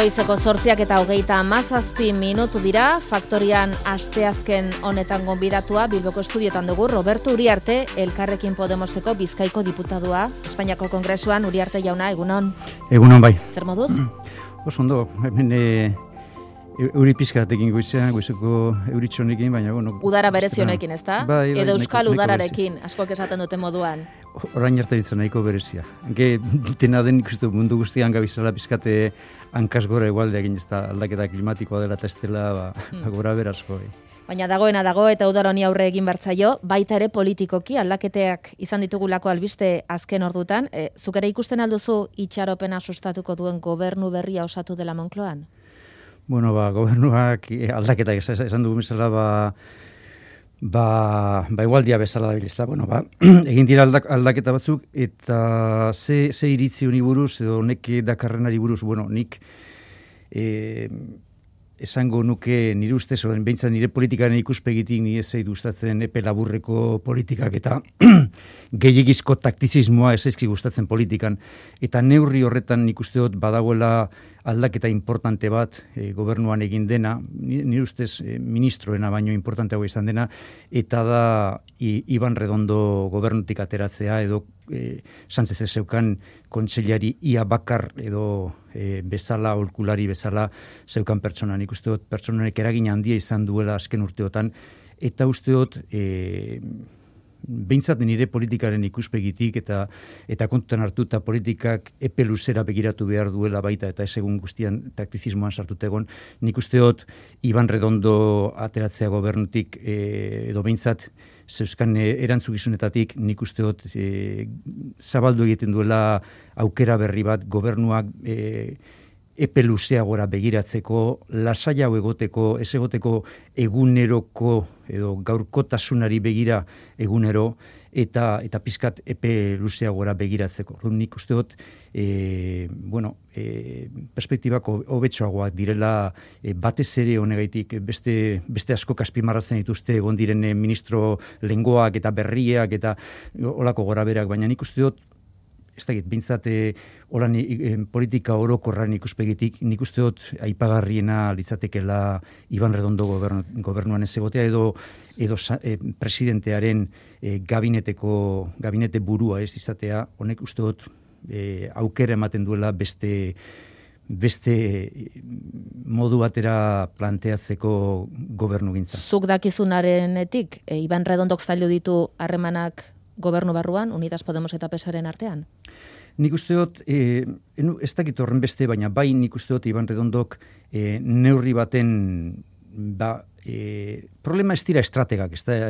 Goizeko 8:27 dira, Faktorian asteazken honetan gonbidatua Bilboko estudiotan dugu Roberto Uriarte, Elkarrekin Podemoseko Bizkaiko diputadua, Espainiako Kongresuan. Uriarte jauna, egunon. Egunon bai. Zer moduz? Oso ondo, hemen euri pizkatekin goizeko euritxonekin, baina bueno. Udara berezionekin, ezta? Bai, edo euskal nahiko udararekin, askok esaten dute moduan. Orain arte ditzen nahiko berezia. Dena den ikustu mundu guztian gabizala pizkate hankaz gora egualde egin, ez da aldaketa klimatikoa dela eta ez dela gora berazko. Baina dagoena dago eta udara honi aurre egin bertzaio, baita ere politikoki aldaketeak izan ditugulako albiste azken ordutan. Zuk ere ikusten alduzu itxaropena sustatuko duen gobernu berria osatu dela Moncloan? Bueno, gobernuak aldaketak esan dugu bezala, igualdia bezala da bilizta. Bueno, egin dira aldaketa batzuk, eta ze iritzi honi buruz, edo nek dakarrenari buruz, bueno, nik esango nuke nire ustez, behintzat nire politikaren ikuspegitik nire zei gustatzen epe laburreko politikak eta gehiagizko taktizismoa ezaizki gustatzen politikan. Eta neurri horretan nik uste dut badagoela aldaketa importante bat gobernuan egin dena, nire ustez ministroena baino importanteago izan dena, eta da Iban Redondo gobernutik ateratzea edo Sánchez zeukan kontseilari ia bakar edo bezala, aholkulari bezala zeukan pertsona. Nik uste dut pertsonanek eragin handia izan duela azken urteotan, eta uste dut behintzat nire politikaren ikuspegitik eta kontutan hartuta politikak epe luzera begiratu behar duela baita eta ez egun guztian taktizismoan sartut egon, nik uste dut Iban Redondo ateratzea gobernutik edo behintzat zeuzkan erantzukizunetatik nik uste dut zabaldu egiten duela aukera berri bat gobernuak epe luzeagora begiratzeko, lasaiago egoteko, ez egoteko eguneroko edo gaurkotasunari begira egunero, eta pizkat epe luzeagora begiratzeko. Nik uste dut, perspektibako hobetxoagoak direla batez ere honegaitik, beste asko azpimarratzen dituzte egon diren ministro lengoak eta berriak eta olako goraberak, baina nik uste dut, ez dakit, bintzat politika orokorran ikuspegitik, nik uste dut aipagarriena litzatekela Iban Redondo gobernuan ez egotea edo presidentearen gabinete burua ez izatea, honek uste dut aukera ematen duela beste modu batera planteatzeko gobernu gintza. Zuk dakizunarenetik, Iban Redondok zaildu ditu harremanak gobernu barruan, Unidas Podemos eta PSOEren artean? Nik uste dut, ez dakit horren beste, baina bai nik uste dut Iban Redondok neurri baten, problema ez dira estrategak, ez da,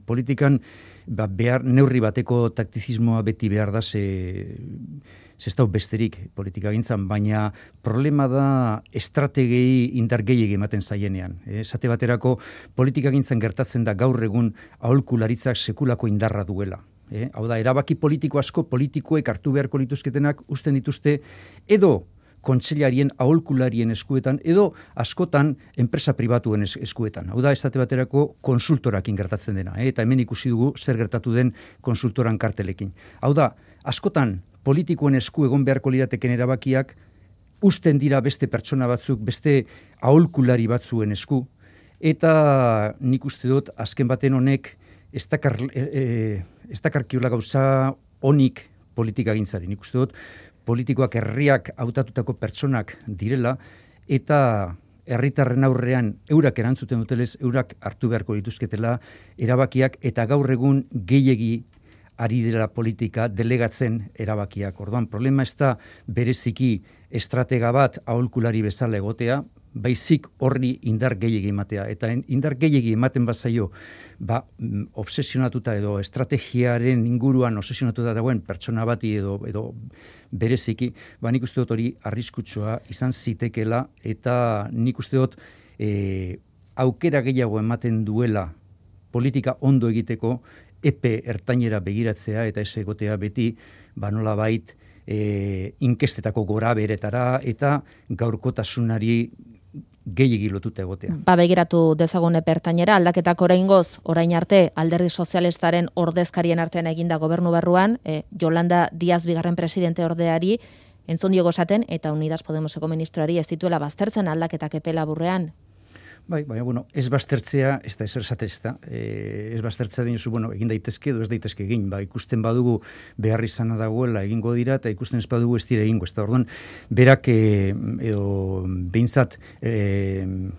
politikan behar neurri bateko taktizismoa beti behar da, ez da besterik politika gintzan, baina problema da estrategei indar gehiegi ematen zaienean. Esate baterako politika gintzan gertatzen da gaur egun aholkularitzak sekulako indarra duela. Hau da, erabaki politiko asko politikoek hartu beharko lituzketenak usten dituzte edo kontseilarien aholkularien eskuetan edo askotan enpresa pribatuen eskuetan. Hau da, esate baterako konsultorakin gertatzen dena. Eta hemen ikusi dugu zer gertatu den konsultoran kartelekin. Hau da, askotan politikoen esku egon beharko lirateken erabakiak usten dira beste pertsona batzuk, beste aholkulari batzuen esku, eta nik uste dut azken baten honek ez dakarkiola gauza honik politika gintzari. Nik uste dut politikoak herriak hautatutako pertsonak direla eta herritarren aurrean eurak erantzuten dutelez, eurak hartu beharko dituzketela erabakiak eta gaur egun gehiegi ari dela politika delegatzen erabakiak. Orduan, problema ez da bereziki estratega bat aholkulari bezala egotea, baizik horri indar gehiegi ematea. Eta indar gehiegi ematen bazaio, obsesionatuta edo estrategiaren inguruan obsesionatuta dagoen pertsona bati edo bereziki, nik uste dut hori arriskutsua izan zitekela, eta nik uste dut aukera gehiago ematen duela politika ondo egiteko, epe ertainera begiratzea eta ez egotea beti, nolabait inkestetako gora beretara eta gaurkotasunari gehiegi lotuta egotea. Begiratu dezagun epe ertainera, aldaketak oraingoz, orain arte Alderdi Sozialistaren ordezkarien artean eginda gobernu barruan, Yolanda Díaz bigarren presidente ordeari entzun diogo esaten, eta Unidas Podemoseko ministroari ez dituela baztertzen aldaketak epe laburrean. Bai, baina, ez baztertzea, ez da ezer esate, ez baztertzea dinozu, egin daitezke edo ez daitezke egin, ikusten badugu behar izana dagoela egingo dira, eta ikusten ez badugu ez dira egingo, ez da, orduan, berak, edo, behintzat,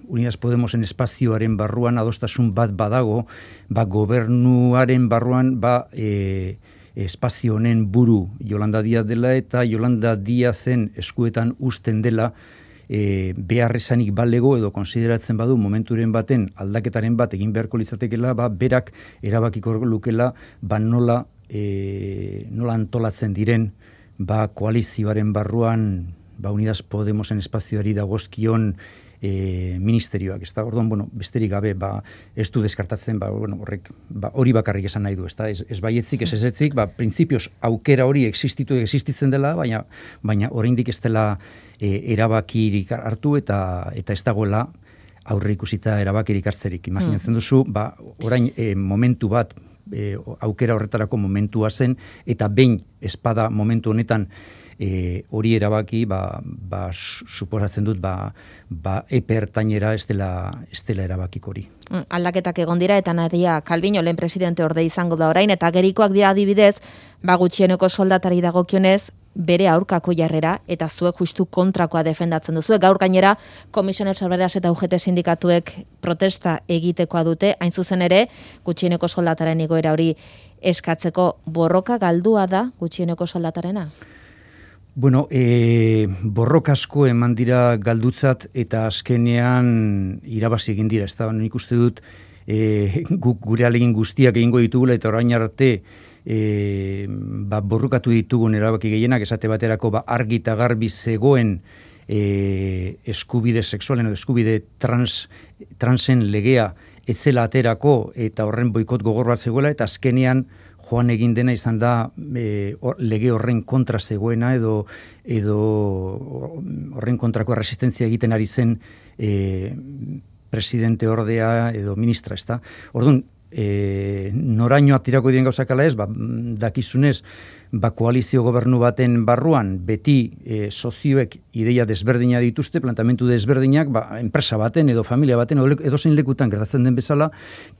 Unidas Podemosen espazioaren barruan adostasun bat badago, gobernuaren barruan, espazio honen buru Yolanda Díaz dela, eta Yolanda Díazen eskuetan uzten dela, behar esanik balego edo konsideratzen badu momenturen baten aldaketaren bat egin beharko litzatekela, berak erabakiko lukela, nola antolatzen diren, koalizioaren barruan, Unidas Podemosen espazioari dagozkion ministerioak, ez da, orduan, besterik gabe, ez du deskartatzen, horrek, hori bakarrik esan nahi du, ez da, ez baietzik, ez ezetzik, printzipioz aukera hori existitzen dela, baina oraindik ez dela erabakirik hartu eta ez dagoela aurre ikusita erabakirik hartzerik. Imaginatzen duzu, orain momentu bat, aukera horretarako momentua zen, eta behin espada momentu honetan hori erabaki, suposatzen dut, epe ertainera ez dela erabakik hori. Aldaketak egon dira, eta Nadia Calviño lehen presidente orde izango da orain, eta gerikoak dira adibidez, gutxieneko soldatari dagokionez, bere aurkako jarrera, eta zuek justu kontrakoa defendatzen duzuek. Gaur gainera, Comisiones Obreras eta UGT sindikatuek protesta egitekoa dute, hain zuzen ere, gutxieneko soldataren igoera hori eskatzeko. Borroka galdua da gutxieneko soldatarena? Borroka asko eman dira galdutzat eta azkenean irabazi egin dira. Ez da, nik uste dut guk gure alegin guztiak egingo ditugula eta orain arte borrokatu ditugun erabaki gehienak, esate baterako argi eta garbi zegoen eskubide sexualen edo eskubide transen legea etzela aterako eta horren boikot gogor bat zegoela, eta azkenean joan egin dena izan da lege horren kontra zegoena edo horren kontrako resistentzia egiten ari zen presidente ordea edo ministra, ez da. Orduan, noraino atirako diren gauzak ala ez, dakizunez, koalizio gobernu baten barruan, beti sozioek ideia desberdina dituzte, plantamentu desberdinak, enpresa baten edo familia baten edo zein lekutan gertatzen den bezala,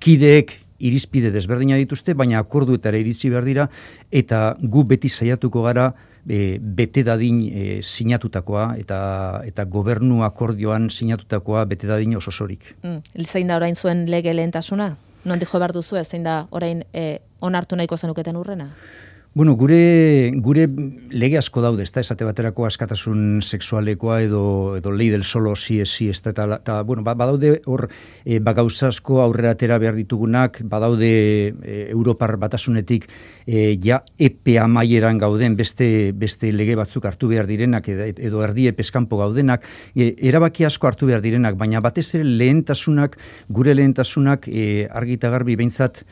kideek irizpide desberdina dituzte, baina akorduetara iritsi behar dira, eta gu beti saiatuko gara bete dadin sinatutakoa eta gobernu akordioan sinatutakoa bete dadin osorik. Zein da orain zuen lege lehentasuna? Nondik jo behar duzu, zein da orain onartu nahiko zenuketen urrena? Gure lege asko daude, ez da, esate baterako askatasun sexualekoa edo lei del solo si esi, ez da, eta, badaude hor gauza asko aurrera atera behar ditugunak, badaude Europar batasunetik ja epe amaieran gauden beste lege batzuk hartu behar direnak edo erdi epeskanpo gaudenak, erabaki asko hartu behar direnak, baina batez ere gure lehentasunak argi eta garbi, behintzat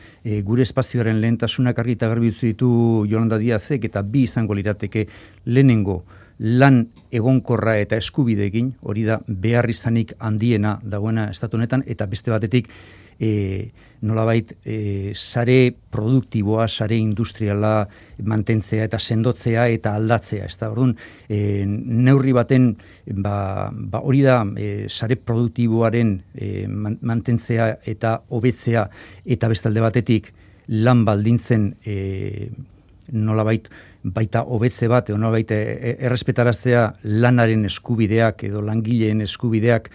gure espazioaren lehentasunak argi eta garbi utzi ditu Yolanda Díazek, eta bi izango lirateke lehenengo lan egonkorra eta eskubideekin, hori da behar izanik handiena dagoena estatu honetan, eta beste batetik nolabait sare produktiboa, sare industriala mantentzea eta sendotzea eta aldatzea. Ez da, orduan, neurri baten hori da sare produktiboaren mantentzea eta hobetzea, eta beste alde batetik lan baldintzen nolabait baita hobetze bat, edo nolabait errespetaraztea lanaren eskubideak edo langileen eskubideak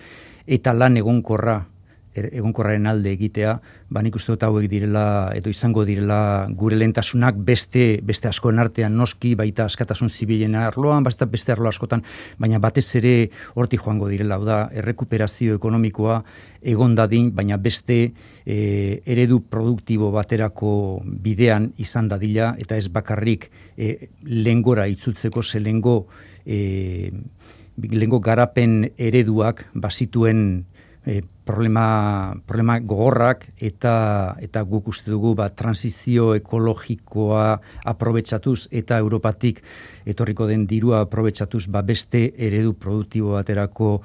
eta lan egonkorraren alde egitea, nik uste dut hauek direla edo izango direla gure lehentasunak beste askoen artean noski, baita askatasun zibilen arloan, beste arlo askotan, baina batez ere hortik joango direla, hau da, errekuperazio ekonomikoa egon dadin, baina beste eredu produktibo baterako bidean izan dadila, eta ez bakarrik lehengora itzultzeko, ze lehengo garapen ereduak bazituen problema gogorrak eta guk uste dugu transizio ekologikoa aprobetxatuz eta Europatik etorriko den dirua aprobetxatuz beste eredu produktibo baterako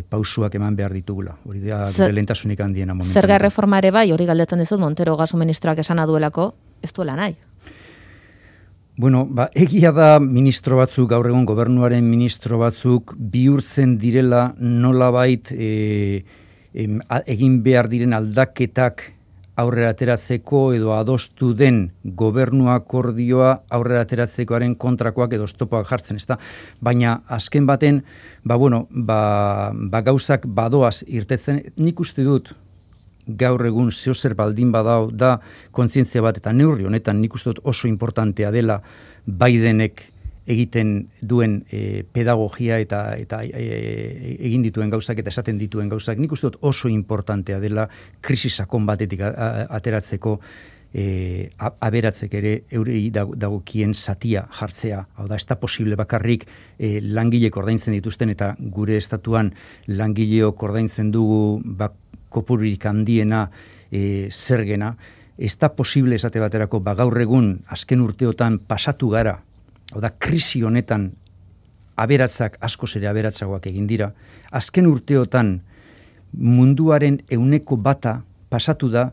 pausuak eman behar ditugula. Hori da gure lehentasunik handiena momentu. Zerga erreforma ere bai, hori galdetzen dizut, Montero gasu ministroak esana duelako, ez duela nahi? Bueno, egia da ministro batzuk, gaur egun gobernuaren ministro batzuk, bihurtzen direla nolabait egin behar diren aldaketak aurrera ateratzeko edo adostu den gobernu akordioa aurrera ateratzekoaren kontrakoak edo oztopoak jartzen, ezta? Baina azken baten, gauzak badoaz irtetzen, nik uste dut, gaur egun zeozer baldin badao da kontzientzia bat eta neurri honetan nik uste dut oso importantea dela Bidenek egiten duen pedagogia eta egin dituen gauzak eta esaten dituen gauzak nik uste dut oso importantea dela krisi sakon batetik ateratzeko aberatzek ere eurei dagokien zatia jartzea. Hau da, ez da posible bakarrik langilek ordaintzen dituzten eta gure estatuan langileok ordaintzen dugu kopururik handiena zergena, ez da posible esate baterako gaur egun azken urteotan pasatu gara, hau da, krisi honetan aberatzak askoz ere aberatzagoak egin dira, azken urteotan munduaren 1% pasatu da,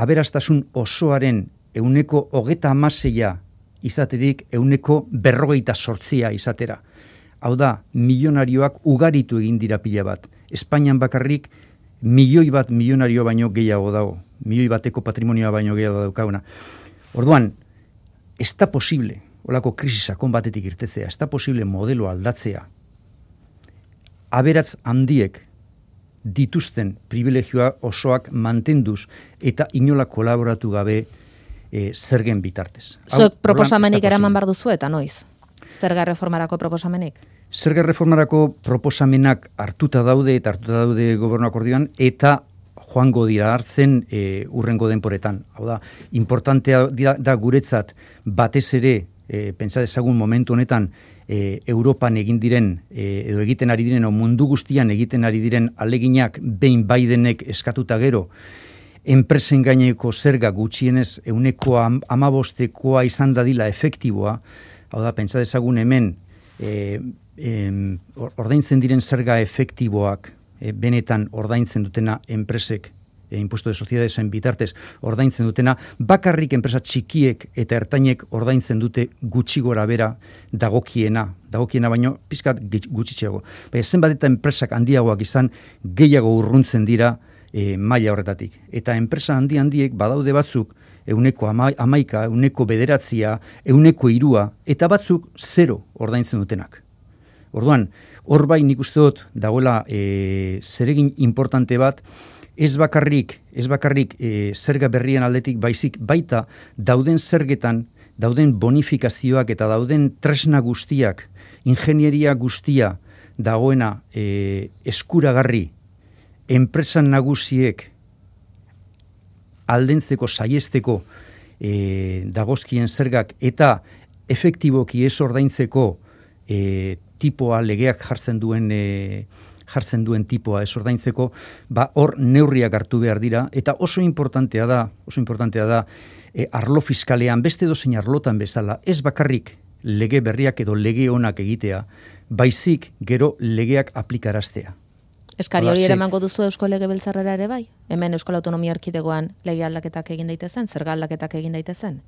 aberastasun osoaren 36% izaterik 48% izatera. Hau da, milionarioak ugaritu egin dira pila bat. Espainian bakarrik 1.000.000 milionario baino gehiago dago. 1.000.000 patrimonioa baino gehiago daukaguna. Orduan, ez da posible, holako krisi sakon batetik irtetzea, ez da posible modelo aldatzea. Aberatz handiek dituzten privilegioa osoak mantenduz eta inola kolaboratu gabe zergen bitartez. Zuek proposamenik eraman behar duzu eta noiz? Zerga reformarako proposamenik? Zerga reformarako proposamenak hartuta daude gobernu akordioan eta joango dira hartzen urrengo denporetan. Hau da, importantea da guretzat batez ere, pentsa dezagun momentu honetan, Europan egin diren, edo egiten ari diren, o mundu guztian egiten ari diren aleginak behin Bidenek eskatuta gero, enpresen gaineko zerga gutxienez 15%koa izan dadila efektiboa, hau da, pentsa dezagun hemen, ordaintzen diren zerga efektiboak, benetan ordaintzen dutena enpresek, impuesto de sociedadesen bitartez ordaintzen dutena, bakarrik enpresa txikiek eta ertainek ordaintzen dute gutxi gora bera dagokiena baino pizkat gutxitxeago. Zenbat eta enpresak handiagoak izan, gehiago urruntzen dira maila horretatik. Eta enpresa handiek badaude batzuk 11%, 9%, 3%, eta batzuk 0 ordaintzen dutenak. Orduan, hor bai nik uste dut dagoela zeregin importante bat, ez bakarrik zerga berrien aldetik baizik baita dauden zergetan, dauden bonifikazioak eta dauden tresna guztiak, ingenieria guztia dagoena eskuragarri enpresan nagusiek aldentzeko, saiesteko dagozkien zergak eta efektiboki ez ordaintzeko tipoa, legeak jartzen duen tipoa ez ordaintzeko, hor neurriak hartu behar dira, eta oso importantea da, arlo fiskalean, beste dozein arlotan bezala, ez bakarrik lege berriak edo lege onak egitea, baizik gero legeak aplikaraztea. Eskari hori ere emango duzu Eusko Legebiltzarrera ere bai? Hemen Euskal Autonomia Erkidegoan lege aldaketak egin daitezen, zerga aldaketak egin daitezen?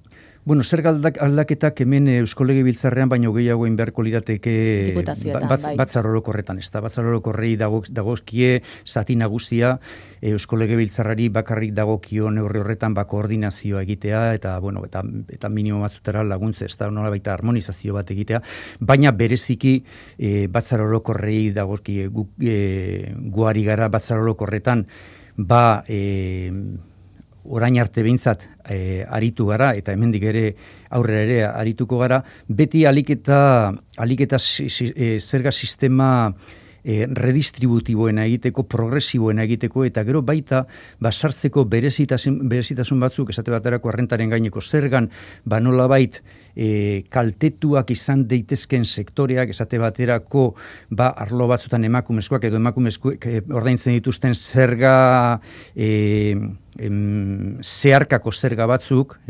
Bueno, zerga aldaketak hemen Eusko Legebiltzarrean baino gehiago beharko lirateke batzar orokorretan, ez da, batzar orokorrei dagozkie zati nagusia, Eusko Legebiltzarrari bakarrik dagokio neurri horretan koordinazioa egitea eta minimo batzutara laguntze, ez da, nolabait harmonizazio bat egitea, baina bereziki batzar orokorrei dagozkie guari gara batzar orokorretan orain arte behintzat aritu gara, eta hemendik ere aurrera ere arituko gara, beti aliketa zerga sistema redistributiboena egiteko, progresiboena egiteko, eta gero baita sartzeko berezitasun batzuk, esate baterako errentaren gaineko zergan, nolabait kaltetuak izan daitezken sektoreak, esate baterako arlo batzutan emakumezkoak edo emakumezkoak ordaintzen dituzten zerga zeharkako zerga batzuk,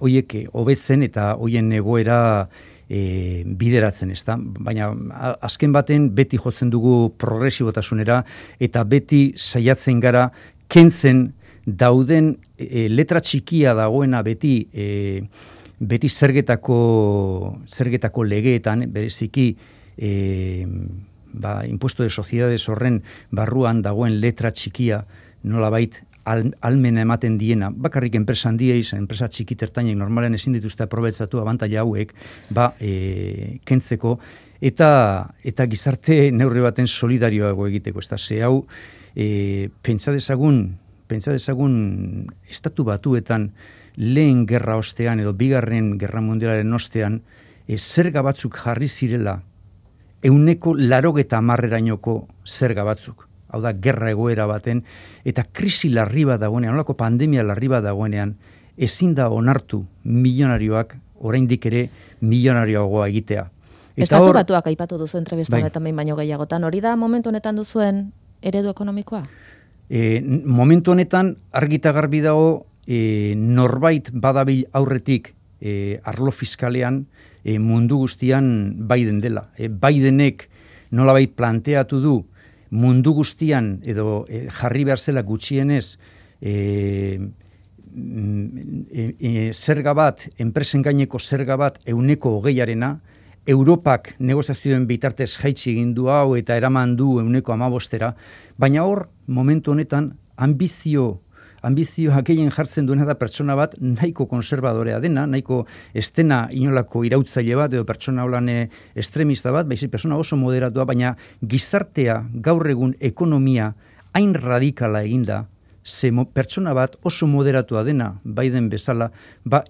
hoiek hobetzen eta hoien egoera bideratzen, ez da? Baina azken baten beti jotzen dugu progresibotasunera eta beti saiatzen gara kentzen dauden letra txikia dagoena beti zergetako legeetan, bereziki impuesto de sociedades horren barruan dagoen letra txikia nolabait almena ematen diena, bakarrik enpresa handiei, enpresa txikitertainek normalen ezin dituzte aprobetxatu abantaila hauek, kentzeko, eta gizarte neurri baten solidarioago egiteko. Ze hau, pentsa dezagun Estatu Batuetan lehen gerra ostean edo bigarren gerra mundialaren ostean, zerga batzuk jarri zirela 90%-erainoko zerga batzuk. Hau da, gerra egoera baten, eta krisi larri bat dagoenean, olako pandemia larri bat dagoenean, ezin da onartu milionarioak, oraindik ere milionarioagoa egitea. Estatu Batuak aipatu duzu entrevista honetan behin baino gehiagotan, hori da momentu honetan duzuen eredu ekonomikoa? Momentu honetan argita garbi dago norbait badabil aurretik arlo fiskalean mundu guztian Biden dela. Bidenek nolabait planteatu du mundu guztian edo jarri behar zela gutxienez zerga bat, enpresen gaineko zerga bat 20%, Europak negoziazioen bitartez jaitsi egin du hau eta eraman du 15%, baina hor, momentu honetan, ambizioa gehien jartzen duena da pertsona bat nahiko konservadorea dena, nahiko estena inolako irautzaile bat edo pertsona holan estremista bat, baizik pertsona oso moderatua, baina gizartea gaur egun ekonomia hain radikala eginda, ze pertsona bat oso moderatua dena, Biden bezala,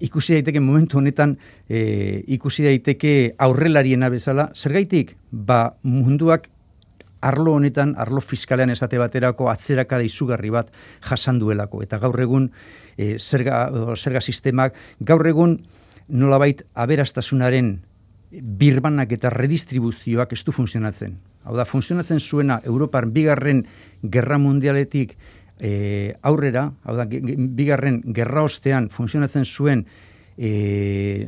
ikusi daiteke momentu honetan, ikusi daiteke aurrelariena bezala, zergaitik, munduak arlo honetan, arlo fiskalean esate baterako atzerakada izugarri bat jasan duelako. Eta gaur egun zerga sistemak, gaur egun nolabait aberastasunaren birbanak eta redistribuzioak ez du funtzionatzen. Hau da, funtzionatzen zuena Europar bigarren gerra mundialetik aurrera, hau da, bigarren gerra ostean funtzionatzen zuen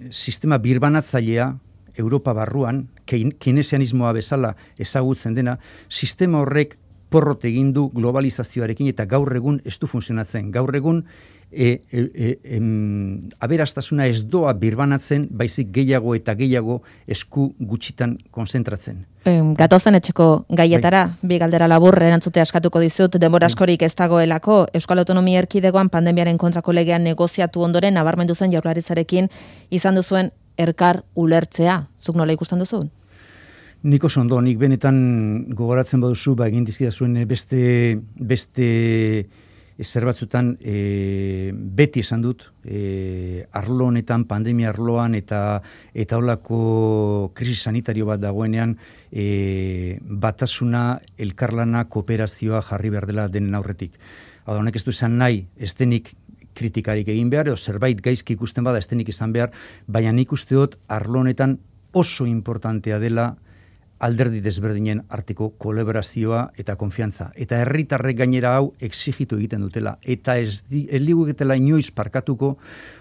sistema birbanatzailea Europa barruan, keynesianismoa bezala ezagutzen dena, sistema horrek porrot egin du globalizazioarekin eta gaur egun ez du funtzionatzen. Gaur egun aberastasuna ez doa birbanatzen, baizik gehiago eta gehiago esku gutxitan konzentratzen. Gatozen etxeko gaietara, bi galdera labur erantzute askatuko dizut, denbora askorik ez dagoelako, Euskal Autonomia Erkidegoan pandemiaren kontrako legean negoziatu ondoren nabarmendu zen Jaurlaritzarekin izan duzuen elkar ulertzea. Zuk nola ikusten duzu? Nik oso ondo, nik benetan gogoratzen baduzu, egin dizkidazuen beste zer batzutan beti esan dut, arlo honetan, pandemia arloan eta holako krisi sanitario bat dagoenean, batasuna, elkarlana, kooperazioa jarri behar dela denen aurretik. Hau da, honek ez du esan nahi, ez denik kritikarik egin behar, edo zerbait gaizki ikusten bada ez denik izan behar, baina nik uste dut arlo honetan oso importantea dela alderdi desberdinen arteko kolaborazioa eta konfiantza. Eta herritarrek gainera hau exigitu egiten dutela. Eta ez liguketela inoiz parkatuko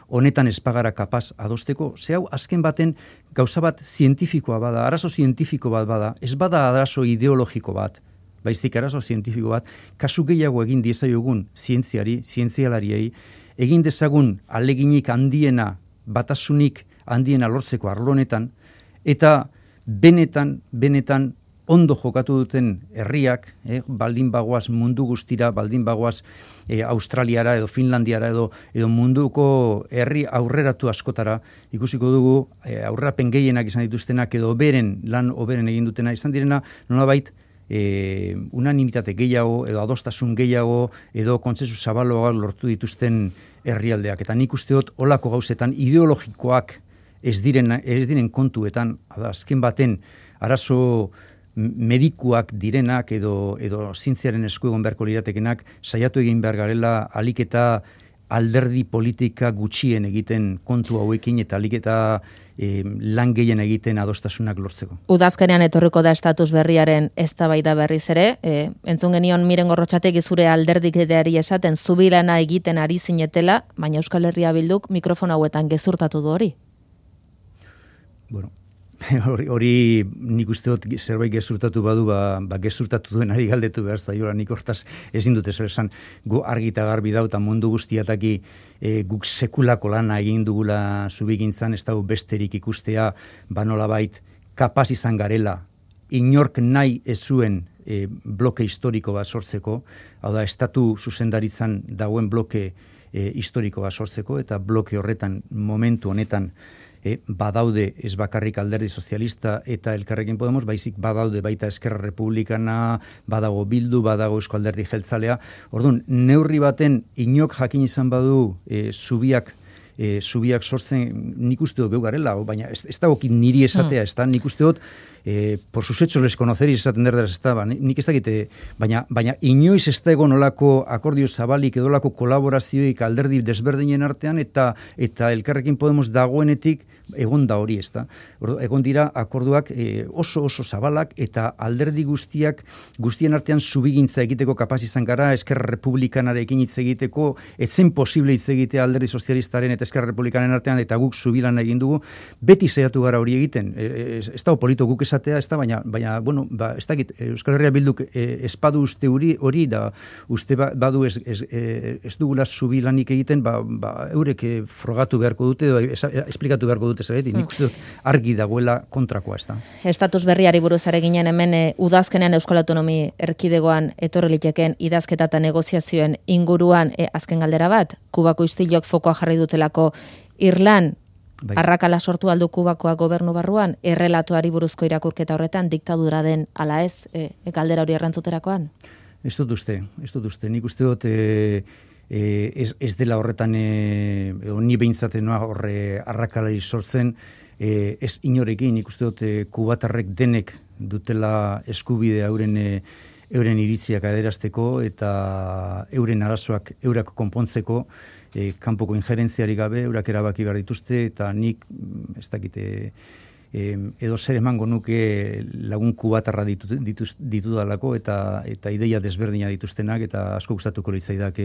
honetan ez pagara kapaz adosteko. Ze hau, azken baten gauza bat zientifikoa bada, arazo zientifiko bat bada, ez bada arazo ideologiko bat, baizik arazo zientifiko bat, kasu gehiago egin diezaiogun zientzialariei, egin dezagun aleginik handiena, batasunik handiena lortzeko arlo honetan, eta benetan ondo jokatu duten herriak, baldin bagoaz mundu guztira, baldin bagoaz Australiara edo Finlandiara edo munduko herri aurreratu askotara, ikusiko dugu aurrerapen gehienak izan dituztenak edo lan oberen egin dutena izan direna, nolabait unanimitate gehiago edo adostasun gehiago edo kontsensu zabaloa lortu dituzten herrialdeak. Eta nik uste dut olako gauzetan ideologikoak ez diren kontuetan, azken baten arazo medikuak direnak edo zientziaren esku egon beharko liratekenak saiatu egin behar garela alik eta alderdi politika gutxien egiten kontu hauekin eta alik eta lan gehien egiten adostasunak lortzeko. Udazkenean etorriko da estatus berriaren eztabaida berriz ere, entzun genion Miren Gorrotxategi zure alderdikedeari esaten zubilana egiten ari zinetela, baina Euskal Herria Bilduk mikrofon hauetan gezurtatu du hori. Bueno, hori nik uste dut zerbait gezurtatu badu, gezurtatu duenari galdetu behar zaiola, nik hortaz ezin dute zer esan, gu argi eta garbi dau, eta mundu guztiataki guk sekulako lana egin dugula zubigintzan, ez dago besterik ikustea, nolabait kapaz izan garela, inork nahi ez zuen bloke historiko bat sortzeko, hau da, estatu zuzendaritzan dagoen bloke historiko bat sortzeko, eta bloke horretan, momentu honetan, badaude ez bakarrik Alderdi Sozialista eta Elkarrekin Podemos, baizik badaude baita Eskerra Republikana, badago Bildu, badago Eusko Alderdi Jeltzalea. Orduan, neurri baten inok jakin izan badu zubiak sortzen, nik uste dut garela, baina ez dagokit niri esatea, ez da, nik uste dut, por sus hechos les conoceris esaten derderaz, ez da, nik ez dakite, baina inoiz ez da egon olako akordio zabalik edolako kolaborazioik alderdi desberdinen artean, eta Elkarrekin Podemos dagoenetik egon da hori, ez da. Egon dira akorduak oso zabalak, eta alderdi guztien artean zubigintza egiteko kapaz izan gara, Eskerra Republikanarekin hitz egiteko, etzen posible hitz egitea Alderdi Sozialistaren eta Eskerra Republikanen artean, eta guk zubilan egin dugu, beti saiatu gara hori egiten. Ez da polito guk esatea, ez da, baina bueno, ez dakit, Euskal Herria Bilduk espadu uste hori, da uste badu ez dugula zubilanik egiten, eurek frogatu beharko dute, esplikatu beharko dute zergatik, nik uste dut argi dagoela kontrakoa, ez da. Estatus berriari buruz are ginen hemen udazkenean Euskal Autonomi Erkidegoan etorri liteken idazketa eta negoziazioen inguruan azken galdera bat, Kubako istilok fokoa jarri dutelako Irlan, arrakala sortu aldu Kubakoa gobernu barruan, errelatuari buruzko irakurketa horretan, diktadura den ala ez, galdera hori errantzuterakoan? Ez dut uste. Nik uste dut ez dela horretan, ni behintzate noa horre arrakalari sortzen, ez inorekin, nik uste dut kubatarrek denek dutela eskubide euren iritziak adierazteko eta euren arazoak eurak konpontzeko, kanpoko injerentziari gabe, eurak erabaki behar dituzte, eta nik, ez dakite, edo zer emango nuke lagun kubatarra ditudalako, eta ideia desberdina dituztenak, eta asko gustatuko litzaidak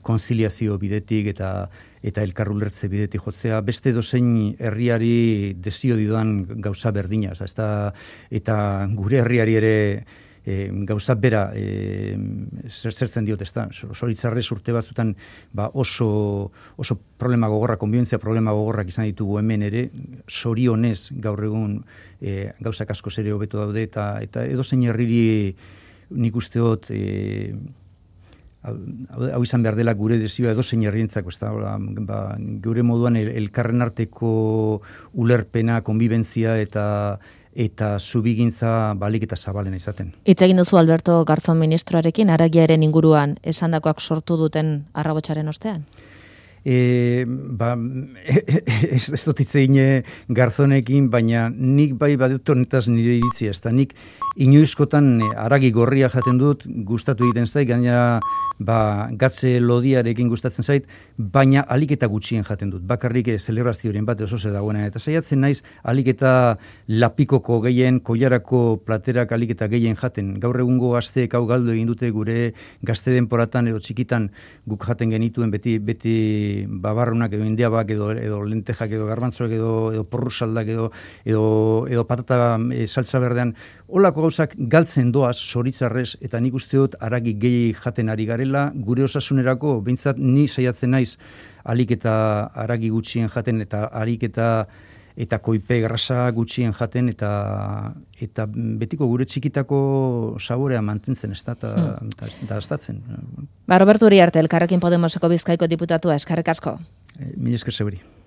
konziliazio bidetik eta elkarrulertze bidetik jotzea, beste dozein herriari desio didoan gauza berdina, eta gure herriari ere gauza bera zertzen diot, ez da, zoritzarrez urte batzutan oso problema gogorra, konbibentzia problema gogorrak izan ditugu hemen ere, zorionez gaur egun gauzak asko ere hobeto daude, eta edozein herriri nik uste dut hau izan behar dela gure desioa edozein herrientzako, ez da, gure moduan elkarren arteko ulerpena, konbibentzia eta zubigintza balik eta zabalena izaten. Hitz egin duzu Alberto Garzón ministroarekin, haragiaren inguruan esandakoak sortu duten arrabotsaren ostean? Ez dut hitz egin Garzonekin, baina nik bai badut honetaz nire iritzia, ez da, nik inoizkotan haragi gorria jaten dut, gustatu egiten zait, gaina gatze lodiarekin gustatzen zait, baina alik eta gutxien jaten dut. Bakarrik zelebrazioaren bat oso ze dagoena. Eta saiatzen naiz alik eta lapikoko gehien, koilarako platerak alik eta gehien jaten. Gaur egungo gazteek hau galdu egin dute gure gazte denporatan edo txikitan guk jaten genituen beti babarrunak edo indiabak edo lentejak edo garbantzoak edo porrusaldak edo patata saltza berdean. Holako gauzak galtzen doaz zoritzarrez, eta nik uste dut haragi gehi jaten ari garela, gure osasunerako, behintzat ni saiatzen naiz alik eta haragi gutxien jaten, eta alik eta koipe grasa gutxien jaten, eta betiko gure txikitako saborea mantentzen, ez da, eta estatzen. Roberto Uriarte, Elkarrekin Podemoseko Bizkaiko diputatua, eskerrik asko. Mila esker zeuri.